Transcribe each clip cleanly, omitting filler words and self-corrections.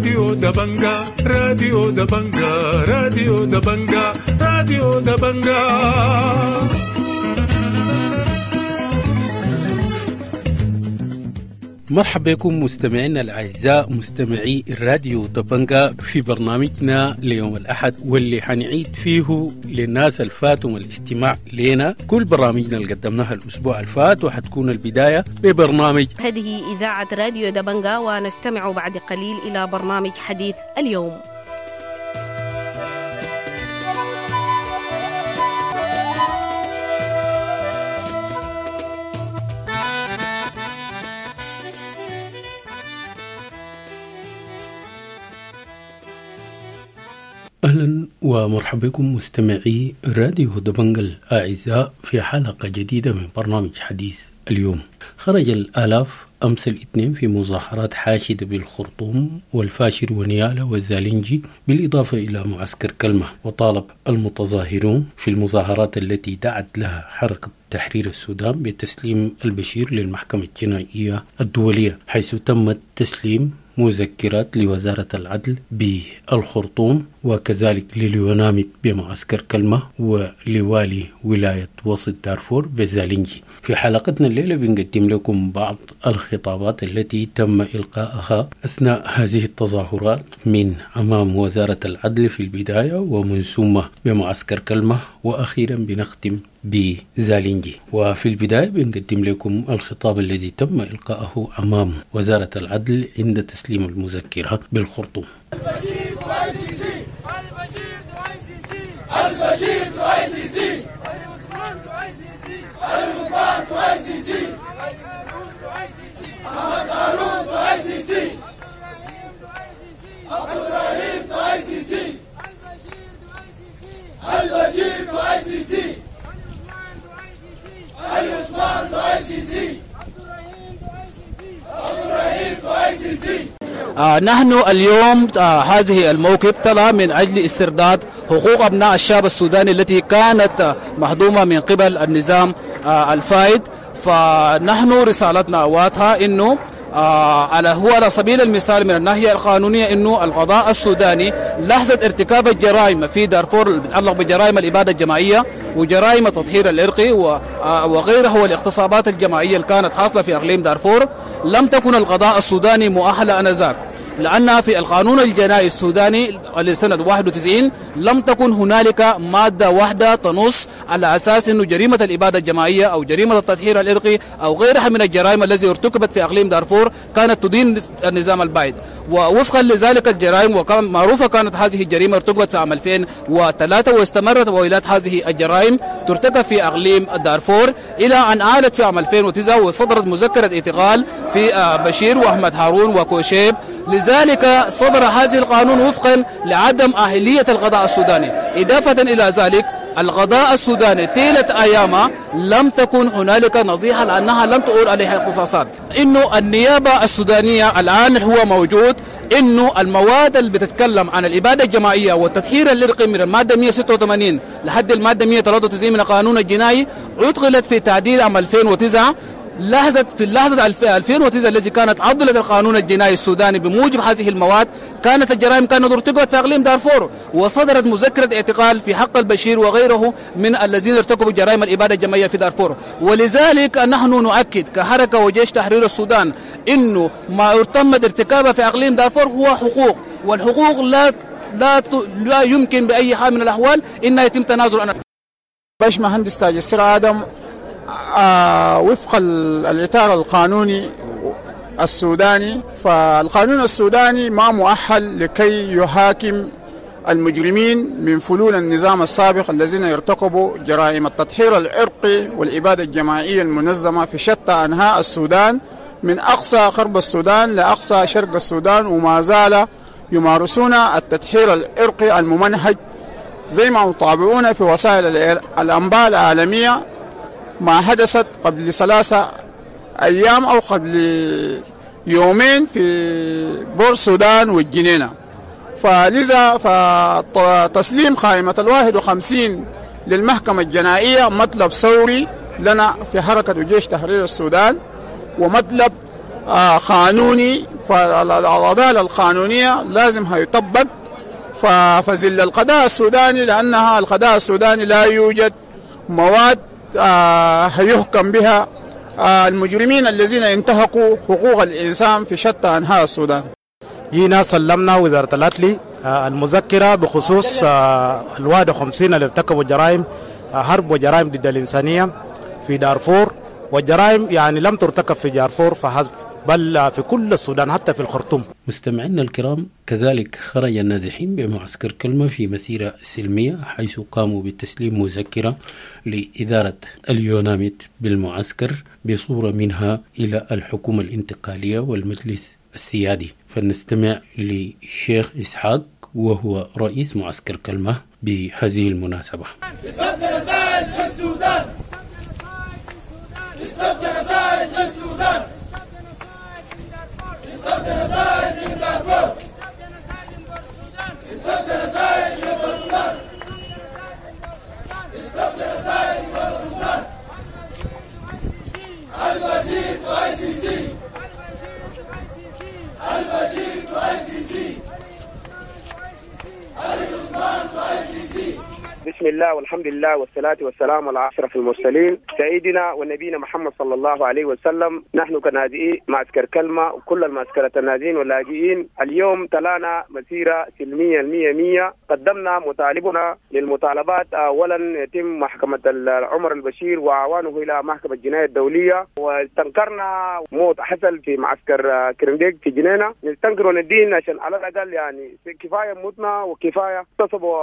راديو دبنجا، راديو دبنجا، راديو دبنجا، راديو دبنجا. مرحبا بكم مستمعينا الأعزاء مستمعي الراديو دبنجا في برنامجنا ليوم الأحد، واللي حنعيد فيه للناس الفاتهم الاستماع لنا كل برامجنا اللي قدمناها الأسبوع الفات، وحتكون البداية ببرنامج هذه إذاعة راديو دبنجا، ونستمع بعد قليل إلى برنامج حديث اليوم. أهلا ومرحبا بكم مستمعي راديو دبنجا الأعزاء في حلقة جديدة من برنامج حديث اليوم. خرج الآلاف أمس الاثنين في مظاهرات حاشدة بالخرطوم والفاشر ونيالا والزالنجي، بالإضافة إلى معسكر كلمة، وطالب المتظاهرون في المظاهرات التي دعت لها حركة تحرير السودان بتسليم البشير للمحكمة الجنائية الدولية، حيث تم تسليم مذكرات لوزارة العدل بالخرطوم وكذلك لليوناميد بمعسكر كلمة ولوالي ولاية وسط دارفور بزالنجي. في حلقتنا الليلة بنقدم لكم بعض الخطابات التي تم إلقاءها أثناء هذه التظاهرات من أمام وزارة العدل في البداية، ومن ثم بمعسكر كلمة، وأخيرا بنختم بزالنجي. وفي البداية بنقدم لكم الخطاب الذي تم إلقاءه أمام وزارة العدل عند تسليم المذكرة بالخرطوم. البشير to ICC، البشير to ICC، البشير to ICC، عثمان to ICC، عثمان to ICC، هارون to ICC، احمد هارون to ICC، عبد الرحيم to ICC، البشير to ICC، عثمان to ICC، عبد الرحيم to ICC. نحن اليوم هذه الموكب طلع من أجل استرداد حقوق أبناء الشعب السوداني التي كانت مهضومة من قبل النظام الفائد. فنحن رسالتنا واضحة إنه هو على سبيل المثال من الناحية القانونية إنه القضاء السوداني لحظة ارتكاب الجرائم في دارفور اللي بتتعلق بجرائم الإبادة الجماعية وجرائم التطهير العرقي وغيرها والاغتصابات الجماعية اللي كانت حاصلة في أقليم دارفور، لم تكن القضاء السوداني مؤهلة آنذاك، لأن في القانون الجنائي السوداني لسنة 91 لم تكن هنالك مادة واحدة تنص على أساس أنه جريمة الإبادة الجماعية أو جريمة التطهير العرقي أو غيرها من الجرائم التي ارتكبت في أقليم دارفور كانت تدين النظام البائد. ووفقا لذلك الجرائم وكان معروفة كانت هذه الجريمة ارتكبت في عام 2003 واستمرت وإلات هذه الجرائم ترتكب في أقليم دارفور إلى أن عادت في عام 2009 وصدرت مذكرة اعتقال في بشير وأحمد هارون وكوشيب. لذلك صدر هذا القانون وفقا لعدم أهلية القضاء السوداني. إضافة إلى ذلك القضاء السوداني طيلة أيامه لم تكن هنالك نصيحة لأنها لم تؤول عليها اختصاصات. إنه النيابة السودانية الآن هو موجود إنه المواد اللي بتتكلم عن الإبادة الجماعية والتطهير العرقي من المادة 186 لحد المادة 193 من القانون الجنائي أدخلت في تعديل عام 2009. لحظة في اللحظة 2009 التي كانت عضلت القانون الجنائي السوداني بموجب هذه المواد كانت الجرائم كانت ارتكبت في أقليم دارفور، وصدرت مذكرة اعتقال في حق البشير وغيره من الذين ارتكبوا جرائم الإبادة الجماعية في دارفور. ولذلك نحن نؤكد كحركة وجيش تحرير السودان إنه ما تمت ارتكابه في أقليم دارفور هو حقوق، والحقوق لا لا لا يمكن بأي حال من الأحوال إنها يتم تنازل عنها. باش مهندس تاج السر آدم وفق الإطار القانوني السوداني، فالقانون السوداني ما مؤهل لكي يحاكم المجرمين من فلول النظام السابق الذين يرتكبوا جرائم التطهير العرقي والإبادة الجماعية المنظمة في شتى أنحاء السودان، من أقصى غرب السودان لأقصى شرق السودان، وما زال يمارسون التطهير العرقي الممنهج زي ما يطابعون في وسائل الأنباء العالمية ما حدثت قبل 3 أيام أو قبل يومين في بور السودان والجنينة. فلذا فتسليم قائمة 51 للمحكمة الجنائية مطلب ثوري لنا في حركة جيش تحرير السودان، ومطلب قانوني، فالعدالة القانونية لازم هيطبق. فزل القضاء السوداني، لأنها القضاء السوداني لا يوجد مواد هيحكم بها المجرمين الذين انتهكوا حقوق الإنسان في شتى أنحاء السودان. جينا سلمنا وزارة العدل المذكرة بخصوص 51 اللي ارتكبوا جرائم حرب وجرائم ضد الإنسانية في دارفور، والجرائم يعني لم ترتكب في دارفور فحسب بل في كل السودان حتى في الخرطوم. مستمعينا الكرام، كذلك خرج النازحين بمعسكر كلمة في مسيرة سلمية، حيث قاموا بتسليم مذكرة لإدارة اليوناميد بالمعسكر بصورة منها إلى الحكومة الانتقالية والمجلس السيادي. فلنستمع للشيخ إسحاق وهو رئيس معسكر كلمة بهذه المناسبة. بسم الله والحمد لله والصلاة والسلام على أشرف المرسلين سيدنا ونبينا محمد صلى الله عليه وسلم. نحن كنازئي معسكر كلمة وكل المعسكرات النازئين واللاجئين اليوم تلانا مسيرة سلمية 100%. قدمنا مطالبنا للمطالبات، أولا يتم محكمة عمر البشير وأعوانه إلى محكمة الجناية الدولية، واستنكرنا موت حصل في معسكر كرنديك في جنينة. نستنكر وندين عشان على الأقل يعني كفاية موتنا وكفاية اغتصبوا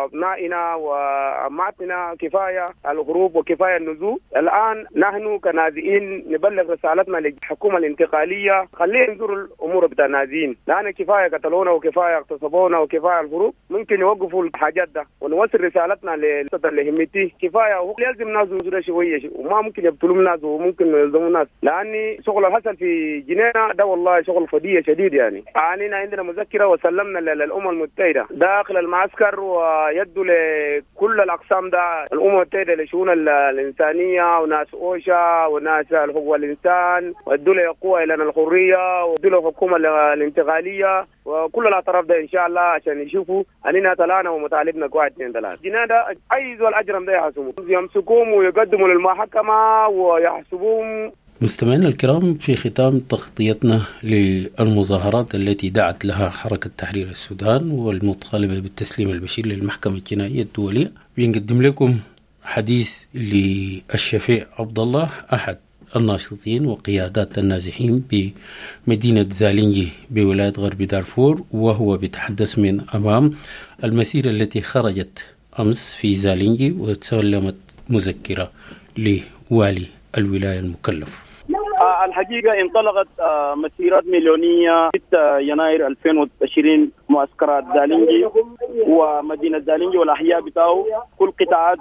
أبنائنا وأماتنا، كفاية الهروب وكفاية النزوح. الآن نحن كنازئين نبلغ رسالتنا للحكومة الانتقالية، خليه ينظروا الأمور بتاع النازئين، لأن كفاية قتلونا وكفاية اغتصبونا وكفاية الهروب. ممكن يوقفوا الحاجات ده ونوصل رسالتنا لهمتي. كفاية هو لازم ناس ينظروا شوية، وما ممكن يبتلوا ناس وممكن يلزموا ناس، لأن شغل الحصل في جنينة ده والله شغل فضية شديد. يعني عندنا مذكرة وسلمنا للأمم المتحدة داخل المعسكر ويدوا لكل الأقسام ده، الأمم المتحدة لشؤون الإنسانية وناس أوشا وناس حقوق الإنسان، والدولة يقوى إلى الحرية والدولة الحكومة الانتقالية وكل الأطراف ده إن شاء الله، عشان يشوفوا أننا طلعنا ومطالبنا 1 2 3. جينا ده أي زول أجرم ده يحاسبوه، يمسكوهم ويقدموا للمحكمة ويحسبوهم. مستمعينا الكرام، في ختام تغطيتنا للمظاهرات التي دعت لها حركة تحرير السودان والمطالبة بالتسليم البشير للمحكمة الجنائية الدولية، بنقدم لكم حديث للشفيع عبد الله أحد الناشطين وقيادات النازحين بمدينة زالينجي بولاية غرب دارفور، وهو بيتحدث من أمام المسيرة التي خرجت أمس في زالينجي وتسلمت مذكرة لوالي الولاية المكلف. الحقيقة انطلقت مسيرات مليونية 6 يناير 2020 معسكرات زالينجي ومدينة زالينجي والأحياء بتاعه، كل قطاعات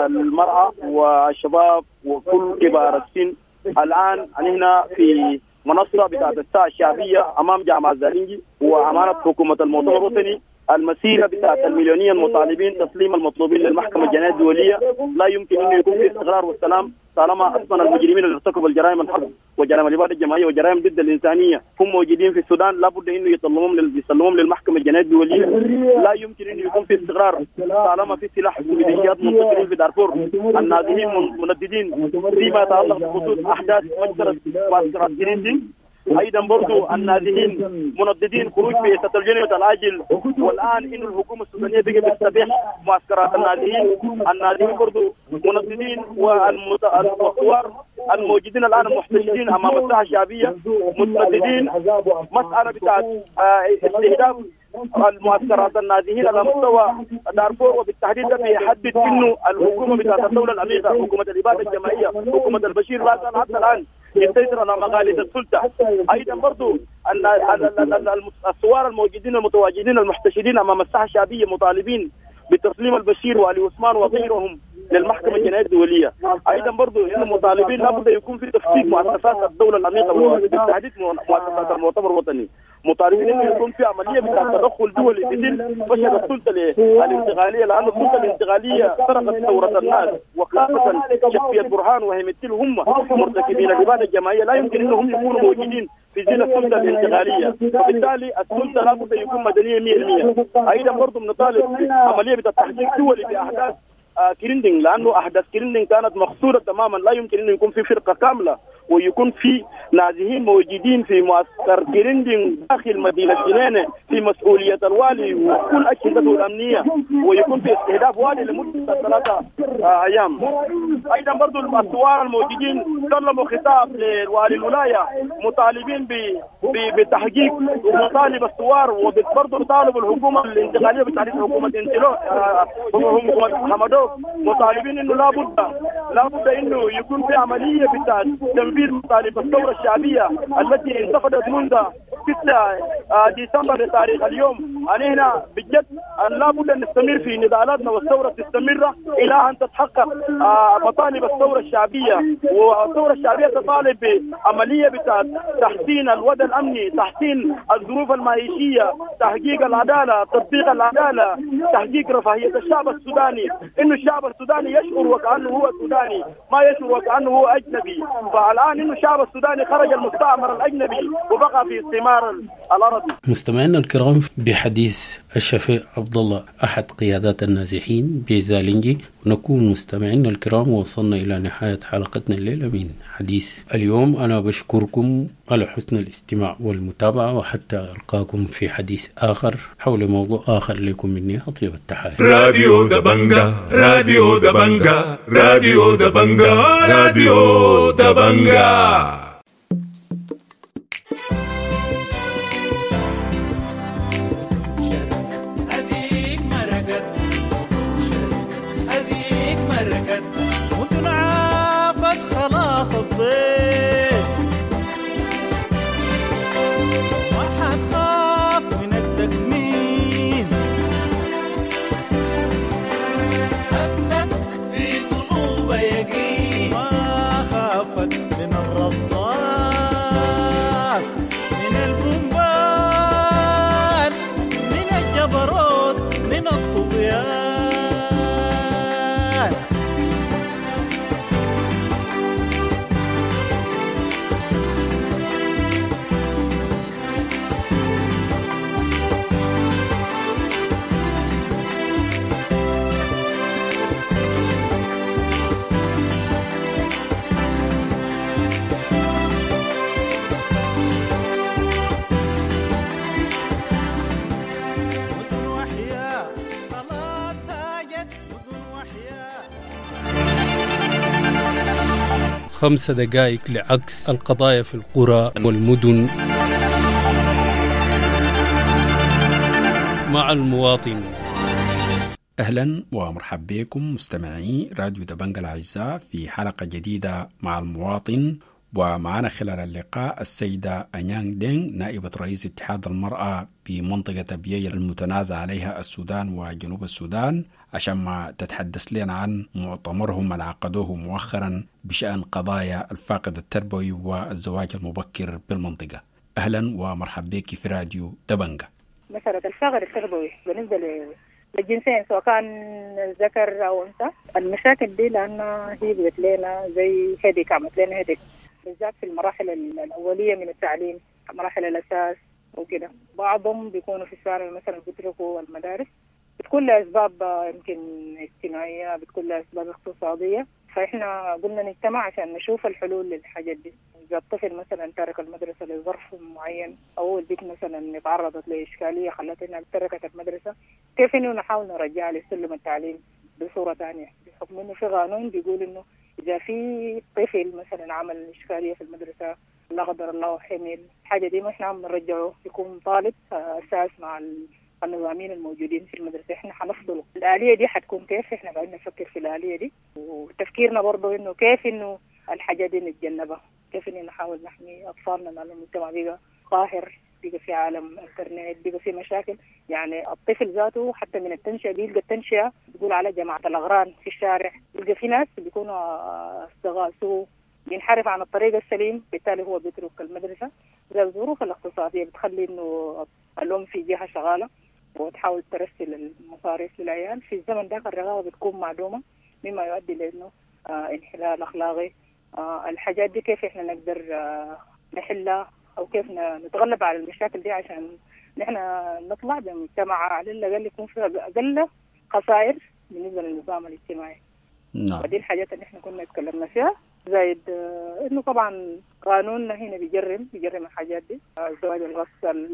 المرأة والشباب وكل كبار السن. الآن هنا في منصة بتاعت الساعة الشعبية أمام جامعة زالينجي وأمانة حكومة المؤتمر الوطني، المسيرة بتاعت المليونية المطالبين تسليم المطلوبين للمحكمة الجنائية الدولية. لا يمكن أنه يكون في استقرار والسلام طالما أصلا المجرمين اللي ارتكبوا الجرائم الحرب وجرائم الإبادة الجماعية وجرائم ضد الإنسانية هم موجودين في السودان، لابد أنه يسلموهم للمحكمة الجنائية الدولية. لا يمكن أنه يكون في استقرار طالما في سلاح وميليشيات منتشرين في دارفور، النازحين منددين فيما يتعلق بخصوص أحداث مجزرة معسكرات جريندي. ايضا برضو النازحين منددين خروج في الجنة العاجل، والان انه الحكومه السودانيه بقت تستبيح معسكرات النازحين. النازحين برضو منددين والثوار الموجودين الان المحتشدين امام الساحه الشعبيه متنددين. مساله بتاعت استهداف المعسكرات النازحين على مستوى دارفور وبالتحديد ده بيحدد انه الحكومه بتاعت الدوله العميقه، حكومه الاباده الجماعيه، حكومه البشير لا زال حتى الان يسيطر على مغاليد السلطه. ايضا برضو الثوار الموجودين المتواجدين المحتشدين امام الساحه الشعبيه مطالبين بتسليم البشير وعلي عثمان وغيرهم للمحكمة الجنائية الدولية. ايضا برضه انه مطالبين لابد يكون في تفكيك مؤسسات الدولة العميقة وبالتحديد مؤسسات المؤتمر الوطني. مطالبين انه يكون في عملية بتاع تدخل دولي بدل فشل السلطة الانتقالية، لان السلطة الانتقالية سرقت ثورة الناس، وخاصة شخصية برهان وهيمتل هم مرتكبين الابادة الجماعية، لا يمكن انهم يكونوا موجودين في ظل السلطة الانتقالية، فبالتالي السلطة لابد يكون مدنية 100%. ايضا برضه بنطالب عملية بتاع تحقيق دولي باحداث كريندينج، لانه احداث كريندينج كانت مقصوده تماما، لا يمكن انه يكون في فرقه كاملة ويكون في نازحين موجودين في معسكر كريندينج داخل مدينة جنينة في مسؤولية الوالي وكل اجهزته الامنية، ويكون في استهداف والي لمدة 3 ايام. ايضا برضو الثوار الموجودين سلموا خطاب لوالي الولاية مطالبين بتحقيق ومطالب الثوار، وبرضه طالبوا الحكومة الانتقالية بالتحديد حكومة حكومة حمدوك، مطالبين انه لابد انه يكون في عملية بتاع تنفيذ مطالب الثورة الشعبية التي انتفضت منذ 6 ديسمبر لتاريخ اليوم. أنا هنا بجد لابد ان نستمر في نضالاتنا والثورة تستمر الى ان تتحقق مطالب الثورة الشعبية، والثورة الشعبية تطالب بعملية بتاع تحسين الوضع الامني، تحسين الظروف المعيشية، تحقيق العدالة، تطبيق العدالة، تحقيق رفاهية الشعب السوداني، انه الشعب السوداني يشعر وكانه هو سوداني، ما يشعر وكانه هو اجنبي. فالان انه الشعب السوداني خرج المستعمر الاجنبي وبقى في استعمار الارض. مستمعينا الكرام، بحديث الشفيع عبد الله احد قيادات النازحين بزالنجي نكون مستمعينا الكرام وصلنا الى نهاية حلقتنا الليلة من حديث اليوم. انا بشكركم على حسن الاستماع والمتابعة، وحتى القاكم في حديث اخر حول موضوع اخر. لكم مني اطيب التحايا. راديو دبنجا، راديو دبنجا، راديو دبنجا، راديو دبنجا. ما حتخاف من التكميم، خدت في قلوب يقين، ما خافت من الرصاص من البومبان من الجبروت من الطغيان. خمس دقائق لعكس القضايا في القرى والمدن مع المواطن. أهلا ومرحبا بكم مستمعي راديو دبنجا الأعزاء في حلقة جديدة مع المواطن، ومعنا خلال اللقاء السيدة أنيانغ دينغ نائبة رئيس اتحاد المرأة بمنطقة أبيي المتنازع عليها السودان وجنوب السودان، عشان ما تتحدث لنا عن مؤتمرهم اللي عقدوه مؤخرا بشأن قضايا الفاقد التربوي والزواج المبكر بالمنطقة. أهلا ومرحبا بك في راديو دبنجا. مسألة الفاقد التربوي بالنسبة للجنسين سواء كان ذكر أو أنثى، المشاكل دي لأنها هي بقت لنا زي headache، عملت لنا headache بالذات في المراحل الأولية من التعليم، مراحل الأساس وكده. بعضهم بيكونوا في الثانوي مثلا بيتركوا المدارس، بتكون لأسباب يمكن اجتماعية، بتكون لأسباب اقتصادية. فإحنا قلنا نجتمع عشان نشوف الحلول للحاجات دي. إذا الطفل مثلا ترك المدرسة لظرف معين، أو البنت مثلا تعرضت لإشكالية خلتها إنها تركت المدرسة، كيف إنه نحاول نرجعها لسلم التعليم بصورة ثانية، بحكم إنه في قانون بيقول إنه إذا في طفل مثلا عمل إشكالية في المدرسة لا قدر الله حمل الحاجة دي، ما إحنا عم نرجعه يكون طالب أساس مع النظاميين الموجودين في المدرسة، إحنا حنفضله. الآلية دي حتكون كيف؟ إحنا قاعدين نفكر في الآلية دي، وتفكيرنا برضو إنه كيف إنه الحاجة دي نتجنبها، كيف إنه نحاول نحمي أطفالنا لأنه المجتمع بقى قاهر. بقى في عالم انترنت، بقى في مشاكل. يعني الطفل ذاته حتى من التنشئه بيلقى التنشئه بيقول على جماعة الاغران في الشارع، بيلقى في ناس بيكونوا اصدقاء سوء، بينحرف عن الطريق السليم، بالتالي هو بيترك المدرسة. زي الظروف الاقتصادية بتخلي انه الام في جهة شغالة وتحاول ترسل المصاريف للعيال. في الزمن ده الرغبة بتكون معدومة، مما يؤدي لانه انحلال اخلاقي. الحاجات دي كيف احنا نقدر نحلها او كيف نتغلب على المشاكل دي عشان نحن نطلع بمجتمع على الاقل يكون فيها اقل خسائر بالنسبة للنظام الاجتماعي. نعم. ودي الحاجات اللي احنا كنا اتكلمنا فيها، زايد انه طبعا قانوننا هنا بيجرم الحاجات دي، الزواج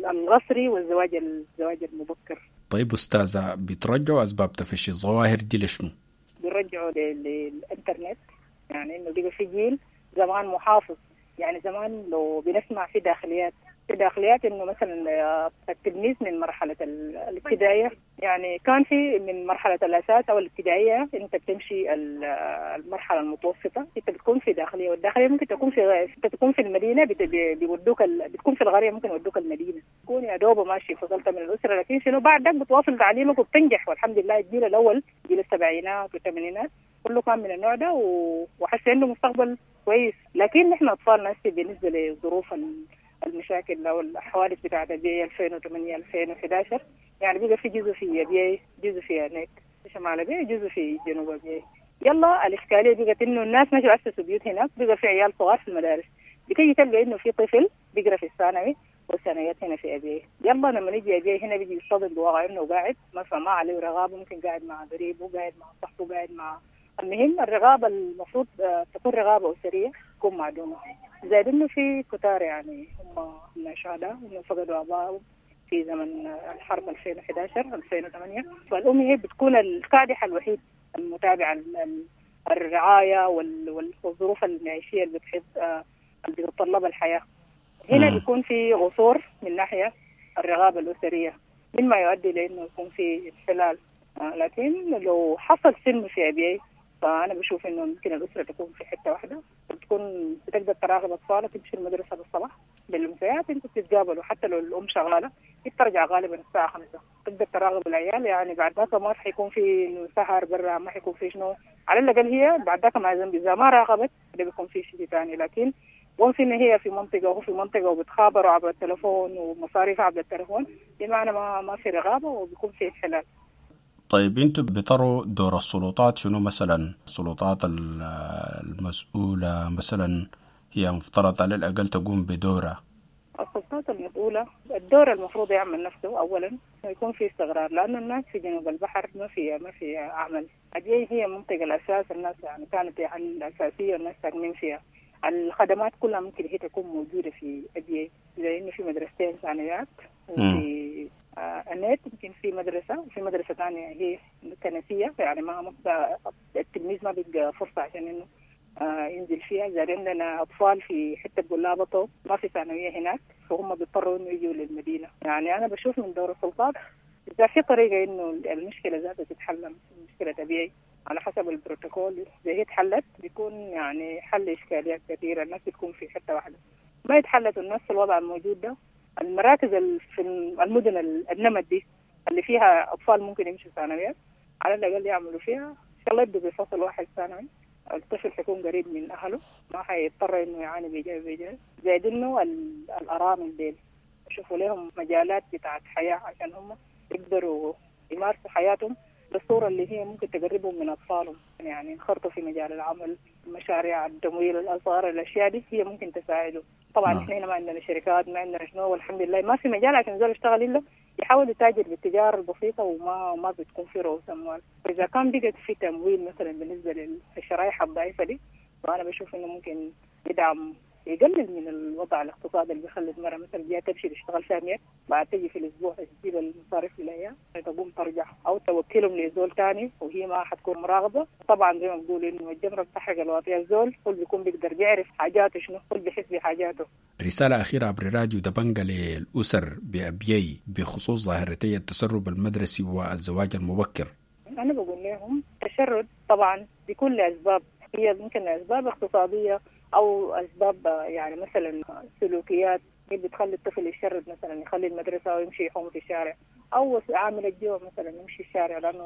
القسري والزواج المبكر. طيب استاذه، بترجعوا اسباب تفشي الظواهر دي لشنو؟ بيرجعوا للانترنت، يعني انه بقى في جيل زمان محافظ. يعني زمان لو بنسمع في داخليات انه مثلا التلميذ من مرحلة الابتدائية، يعني كان في من مرحلة الاساس او الابتدائية انت بتمشي المرحلة المتوسطة، انت بتكون في داخلية، والداخليه ممكن تكون في انت تكون في المدينة، بيودوك بتكون في القرية ممكن يودوك المدينة، تكون يا دوب ماشي فصلت من الاسرة، لكن شنو بعدك بتواصل تعليمك وبتنجح. والحمد لله الجيل الاول جيل السبعينات والثمانينات كله كان من النوع ده، وحس انه مستقبل كويس. لكن نحن اطفالنا هسه بالنسبة لظروف المشاكل او الحوادث بتاعت ابيي 2008 2011، يعني بقى في جزء في ابيي، جزء في هناك في شمال ابيي، جزء في جنوب ابيي. يلا الاشكالية بقت انه الناس مشوا اسسوا بيوت هناك، بقى في عيال صغار في المدارس، بتيجي تلقى انه في طفل بيقرا في الثانوي والثانويات هنا في ابيي. يلا لما نيجي ابيي هنا بيجي يصطدم بواقع انه قاعد مثلا ما عليه رغابه، ممكن قاعد مع قريبه، قاعد مع صاحبه، قاعد مع المهم الرغابة المفروض تكون رغابة أسرية تكون معدومة. زائد إنه في كتار يعني هم شهداء، هم فقدوا آبائهم في زمن الحرب 2011 2008، فالأم هي بتكون الكادحة الوحيد المتابعة الرعاية والظروف المعيشية اللي بتحب اللي بتتطلبها الحياة. هنا بيكون في قصور من ناحية الرغابة الأسرية، مما يؤدي لأنه يكون في انحلال. لكن لو حصل سلم في أبيي فأنا بشوف إنه ممكن الأسرة تكون في حتة واحدة، بتكون بتقدر تراقب أطفالك، تمشي المدرسة بالصباح بالأمسيات أنتوا بتتقابلوا، حتى لو الأم شغالة بترجع غالبا الساعة 5، تقدر تراقب العيال. يعني بعد ذاك ما حيكون في إنه سهر برا، ما حيكون في شنو، على الأقل هي بعد ذاك ما إذا ما راقبت ده بيكون في شيء ثاني. لكن وانس إن هي في منطقة وهو في منطقة وبتخابروا عبر التلفون ومصاريف عبر التلفون، بمعنى ما في رغابة وبيكون في انحلال. طيب انتوا بتروا دور السلطات شنو مثلا؟ السلطات المسؤولة مثلا هي مفترض على الأقل تقوم بدورها. السلطات المسؤولة الدور المفروض يعمل نفسه أولا يكون في استقرار، لأن الناس في جنوب البحر ما في عمل. أبيي هي منطقة الأساس، الناس يعني كانت الأساسية والناس ساكنين فيها، الخدمات كلها ممكن هي تكون موجودة في أبيي، زي إنه في مدرستين ثانويات وفي النت يمكن في مدرسة، وفي مدرسة ثانية هي كنسية، يعني ما التلميذ ما بيلقى فرصة عشان إنه ينزل فيها. زي عندنا أطفال في حتة بقول ما في ثانوية هناك، فهم بيضطروا إنه يجوا للمدينة. يعني أنا بشوف من دور السلطات إذا في طريقة إنه المشكلة ذاتها تتحل، مشكلة طبيعي على حسب البروتوكول إذا هي اتحلت بيكون يعني حل إشكاليات كثيرة، الناس بتكون في حتة واحدة. ما يتحلت الناس في الوضع الموجود ده، المراكز في المدن النمط دي اللي فيها أطفال ممكن يمشوا ثانويات، على الأقل يعملوا فيها إن شاء الله يبدوا بفصل واحد ثانوي، الطفل حيكون قريب من أهله، ما حيضطر إنه يعاني بيجاي. زائد إنه الأرامل ديل يشوفوا لهم مجالات بتاعت حياة عشان هم يقدروا يمارسوا حياتهم بالصورة اللي هي ممكن تقربهم من أطفالهم، يعني ينخرطوا في مجال العمل، مشاريع التمويل الأصغر، الأشياء دي هي ممكن تساعدهم. طبعا احنا هنا ما عندنا شركات، ما عندنا شنو، والحمد لله ما في مجال عشان زول يشتغل إلا يحاول يتاجر بالتجارة البسيطة، وما بتكون في رؤوس أموال. فإذا كان بقت في تمويل مثلا بالنسبة للشرائح الضعيفة دي، فأنا بشوف إنه ممكن يدعم يقلل من الوضع الاقتصادي اللي بيخلي المرأة مثلا جاية تمشي تشتغل سامية، بعد تجي في الأسبوع تجيب المصاريف لها تقوم ترجع أو توكلهم لزول تاني وهي ما حتكون مراقبة. طبعا زي ما بقول إنه الجمرة بتحرق الواطية، الزول هو بيكون بيقدر بيعرف حاجاته شنو، هو بيحس بحاجاته. رسالة أخيرة عبر راديو دبنجة للأسر بأبيي بخصوص ظاهرتي التسرب المدرسي والزواج المبكر. أنا بقول لهم التشرد طبعا بكل أسباب، هي ممكن أسباب اقتصادية أو أسباب يعني مثلا سلوكيات هي بتخلي الطفل يشرد مثلا، يخلي المدرسة ويمشي يحوم في الشارع، او عامل الجوع مثلا يمشي الشارع لانه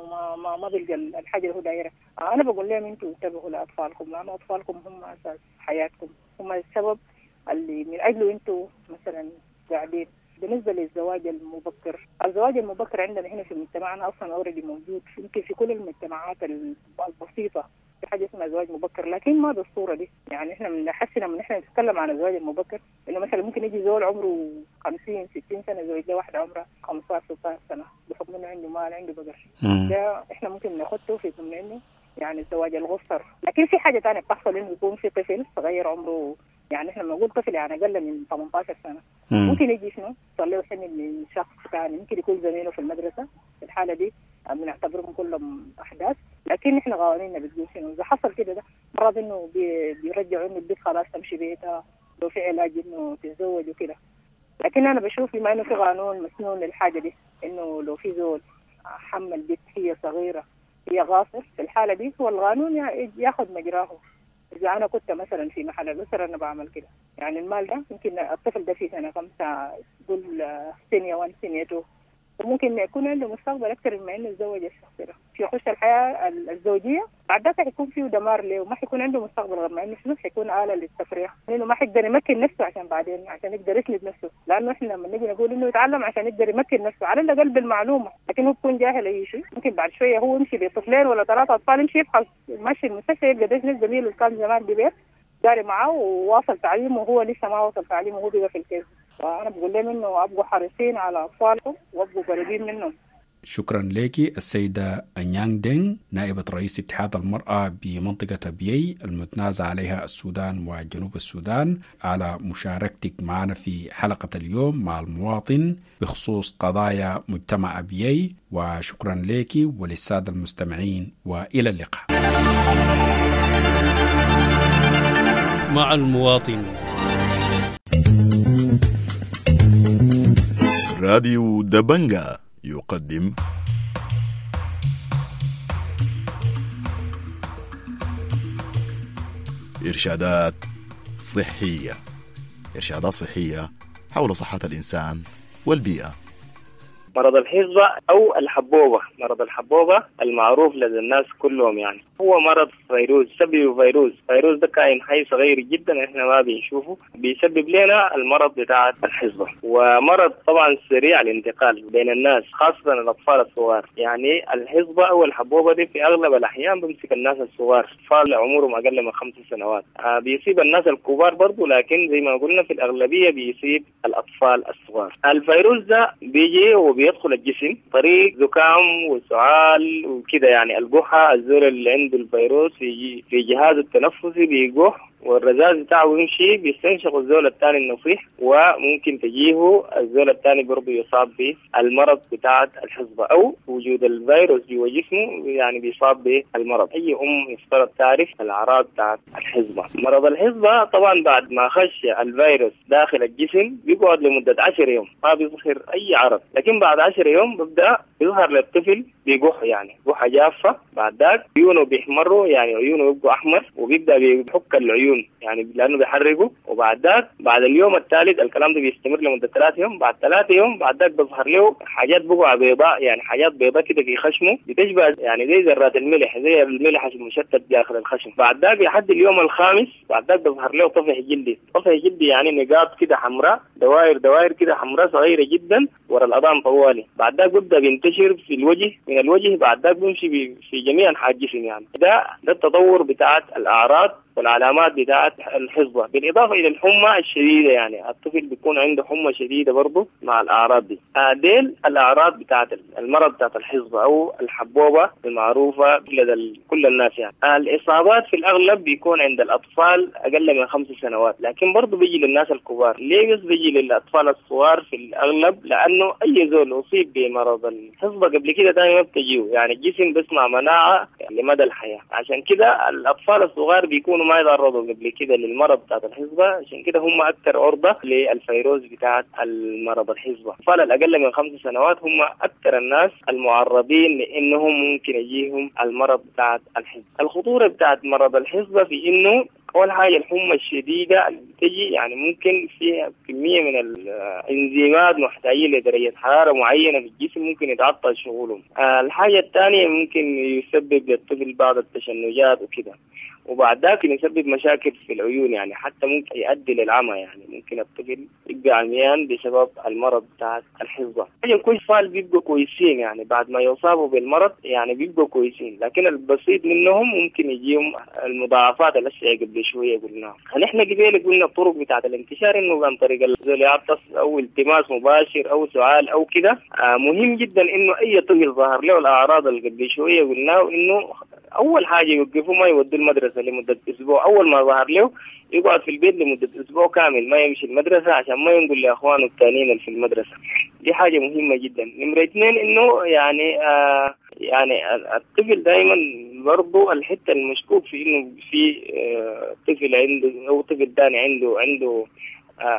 ما بيلقى الحاجة اللي هو دايرها. انا بقول لهم انتوا انتبهوا لاطفالكم، لانه اطفالكم هم اساس حياتكم، هم السبب اللي من اجله انتوا مثلا قاعدين. بالنسبة للزواج المبكر، الزواج المبكر عندنا هنا في مجتمعنا اصلا already موجود، يمكن في كل المجتمعات البسيطة في حاجة اسمها زواج مبكر، لكن ما بالصورة دي. يعني احنا بنحس لما احنا نتكلم عن الزواج المبكر انه مثلا ممكن يجي زول عمره 50 60 سنة يزوج له واحدة عمرها 15 16 سنة بحكم انه عنده مال، عنده بقر. ده احنا ممكن ناخده في ضمن انه يعني الزواج الغصر. لكن في حاجة ثانية بتحصل، انه يكون في طفل صغير عمره، يعني احنا بنقول طفل يعني اقل من 18 سنة، ممكن يجي شنو يصير له حمل من شخص ثاني، ممكن يكون زميله في المدرسة. في الحالة دي بنعتبرهم كلهم احداث، لكن احنا قوانيننا بتقول شنو اذا حصل كده، ده مرات انه بيرجعوا انه البنت خلاص تمشي بيتها، لو في علاج انه تتزوج وكده. لكن انا بشوف بما انه في قانون مسنون للحاجة دي، انه لو في زول حمل بنت هي صغيرة هي غاصر، في الحالة دي هو القانون ياخذ مجراه. إذا أنا كنت مثلا في محل الأسرة أنا بعمل كده، يعني المال ده يمكن الطفل ده في سنة 5 قول سنة 1 سنة 2، وممكن يكون عنده مستقبل أكثر مما إنه يتزوج الشخص ده، يخش الحياة الزوجية بعد ذاك حيكون فيه دمار له، وما حيكون عنده مستقبل غير ما إنه شنو حيكون آلة للتفريح، لأنه ما حيقدر يمكن نفسه عشان بعدين عشان يقدر يسند نفسه، لأنه إحنا لما نيجي نقول إنه يتعلم عشان يقدر يمكن نفسه على الأقل بالمعلومة، لكن هو بيكون جاهل أي شيء. ممكن بعد شوية هو يمشي بطفلين ولا 3 أطفال، يمشي يفحص ماشي المستشفى يلقى ده زميله اللي كان زمان ببيت جاري معاه وواصل تعليمه وهو لسه ما وصل تعليمه وهو بيبقى في الكيس. فأنا بقول لهم إنه أبقوا حريصين على أطفالكم وأبقوا قريبين منهم. شكرا لك السيدة أنيانغ دينغ، نائبة رئيس اتحاد المرأة بمنطقة أبيي المتنازع عليها السودان وجنوب السودان، على مشاركتك معنا في حلقة اليوم مع المواطن بخصوص قضايا مجتمع أبيي. وشكرا لك وللسادة المستمعين، وإلى اللقاء. مع المواطن. راديو دبنجا يقدم إرشادات صحية، إرشادات صحية حول صحة الإنسان والبيئة. مرض الحصبة أو الحبوبة، مرض الحبوبة المعروف لدى الناس كلهم، يعني هو مرض فيروس، سببه فيروس. فيروس ده كائن حي صغير جدا احنا ما بنشوفه، بيسبب لنا المرض بتاع الحصبة. ومرض طبعا سريع الانتقال بين الناس خاصة الأطفال الصغار. يعني الحصبة أو الحبوبة دي في أغلب الأحيان بيمسك الناس الصغار، أطفال عمرهم أقل من 5 سنوات. بيصيب الناس الكبار برضو، لكن زي ما قلنا في الأغلبية بيصيب الأطفال الصغار. الفيروس ده بيجي وبيدخل الجسم طريق زكام وسعال وكده، يعني الجحة، الزول اللي عنده الفيروس في جهازه التنفسي بيجح، والرذاذ بتاعه يمشي بيستنشق الزول الثاني النصيح، وممكن تجيه الزول الثاني برضه يصاب بالمرض بتاعة الحصبة، أو وجود الفيروس جوا جسمه يعني بيصاب بالمرض. أي أم يفترض تعرف الأعراض بتاعة الحصبة. مرض الحصبة طبعا بعد ما خش الفيروس داخل الجسم بيقعد لمدة 10 يوم ما بيظهر أي عرض، لكن بعد 10 يوم بيبدأ يظهر للطفل بيقح، يعني قحة جافة. بعد ذاك عيونه بيحمروا، يعني عيونه بيبقوا أحمر، وبيبدأ بيحك العيون يعني لأنه بيحرقه. وبعد ذاك بعد اليوم الثالث، الكلام ده بيستمر لمدة 3 يوم، بعد 3 يوم بعد ذاك بيظهر له حاجات بقع بيضاء، يعني حاجات بيضاء كده في خشمه بتشبه يعني زي ذرات الملح، زي الملح المشتت داخل الخشم. بعد ذاك لحد اليوم الخامس بعد ذاك بيظهر له طفح جلدي، طفح جلدي يعني نقاط كده حمراء، دوائر دوائر كده حمراء صغيرة جدا ورا الأذان طوالي. بعد ذاك بيبدأ بينتشر في الوجه، من الوجه بعد ذاك بيمشي في جميع أنحاء الجسم. يعني ده التطور بتاعت الأعراض والعلامات بتاعت الحصبة، بالإضافة إلى الحمى الشديدة، يعني الطفل بيكون عنده حمى شديدة برضه مع الأعراض دي. ديل الأعراض بتاعت المرض بتاعت الحصبة أو الحبوبة المعروفة لدى كل الناس. يعني الإصابات في الأغلب بيكون عند الأطفال أقل من 5 سنوات، لكن برضه بيجي للناس الكبار. ليه بس بيجي للأطفال الصغار في الأغلب؟ لأنه أي زول أصيب بمرض الحصبة قبل كده دائما ما بتجيه، يعني الجسم بيصنع مناعة لمدى الحياة. عشان كده الأطفال الصغار بيكونوا ما يتعرضوا قبل كده للمرض بتاعت الحصبة، عشان كده هم أكثر عرضة للفيروس بتاعت المرض الحصبة. الأطفال الأقل من 5 سنوات هم أكثر الناس المعرضين لأنهم ممكن يجيهم المرض بتاعت الحصبة. الخطورة بتاعت مرض الحصبة في إنه اول حاجة الحمى الشديدة اللي بتجي يعني ممكن فيها كمية من الانزيمات محتاجين لدرجة حرارة معينة في الجسم ممكن يتعطل شغلهم. الحاجة الثانية ممكن يسبب للطفل بعض التشنجات وكده، وبعد ذاك يسبب مشاكل في العيون، يعني حتى ممكن يؤدي للعمى، يعني ممكن الطفل يبقى عميان بسبب المرض بتاع الحصبة. يكون اطفال بيبقوا كويسين يعني بعد ما يصابوا بالمرض يعني بيبقوا كويسين، لكن البسيط منهم ممكن يجيهم المضاعفات الأشياء قبل شوية قلناها. نحن قبل قلنا الطرق بتاعت الانتشار انه عن طريق الزول يعطس او التماس مباشر او سعال او كده. مهم جدا انه اي طفل ظهر له الاعراض اللي قبل شوية قلناه انه اول حاجة يوقفوا ما يودوا المدرسة لمدة اسبوع. اول ما ظهر له يقعد في البيت لمدة اسبوع كامل ما يمشي المدرسة عشان ما ينقل لاخوانه الثانيين اللي في المدرسة. دي حاجة مهمة جدا. نمره اثنين انه يعني يعني الطفل دائما برضه الحتة المشكوك في انه في طفل عنده او طفل ثاني عنده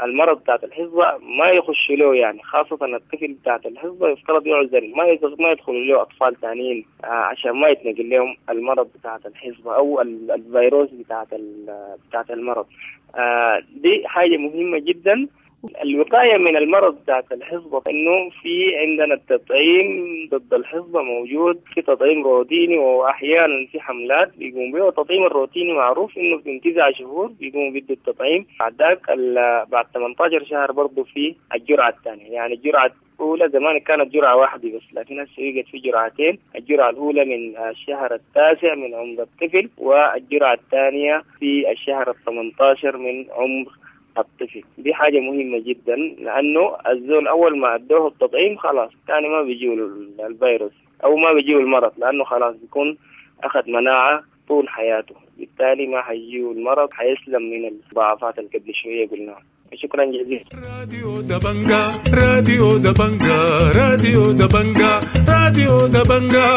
المرض بتاعت الحصبة ما يخش له، يعني خاصة الطفل بتاعت الحصبة يفترض يعزل، ما يدخل له أطفال ثانيين عشان ما يتنقل لهم المرض بتاعت الحصبة أو الفيروس بتاعت المرض. دي حاجة مهمة جدا. الوقاية من المرض بتاعت الحصبة إنه في عندنا التطعيم ضد الحصبة موجود، في تطعيم روتيني وأحيانا في حملات بيقوم به. والتطعيم الروتيني معروف إنه في 9 شهور بيقوموا بيدوا التطعيم، بعد ذاك بعد 18 شهر برضه في الجرعة الثانية. يعني الجرعة الأولى زمان كانت جرعة واحدة بس، لكن هسه يوجد في جرعتين، الجرعة الأولى من الشهر 9 من عمر الطفل، والجرعة الثانية في الشهر 18 من عمر الطفل. دي حاجة مهمة جدا لأنه الزول أول ما أدوه التطعيم خلاص تاني ما بيجيه الفيروس أو ما بيجيه المرض، لأنه خلاص بيكون أخذ مناعة طول حياته، بالتالي ما حيجيه المرض، حيسلم من المضاعفات اللي قبل شوية قلناها. شكرا جزيلا. راديو دبنجا، راديو دبنجا، راديو دبنجا، راديو دبنجا.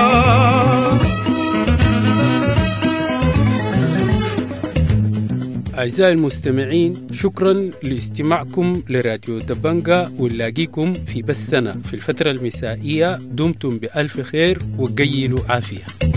أعزائي المستمعين، شكرا لاستماعكم لراديو دبنجا، ونلاقيكم في بثنا في الفترة المسائية. دمتم بألف خير وقيلوا عافية.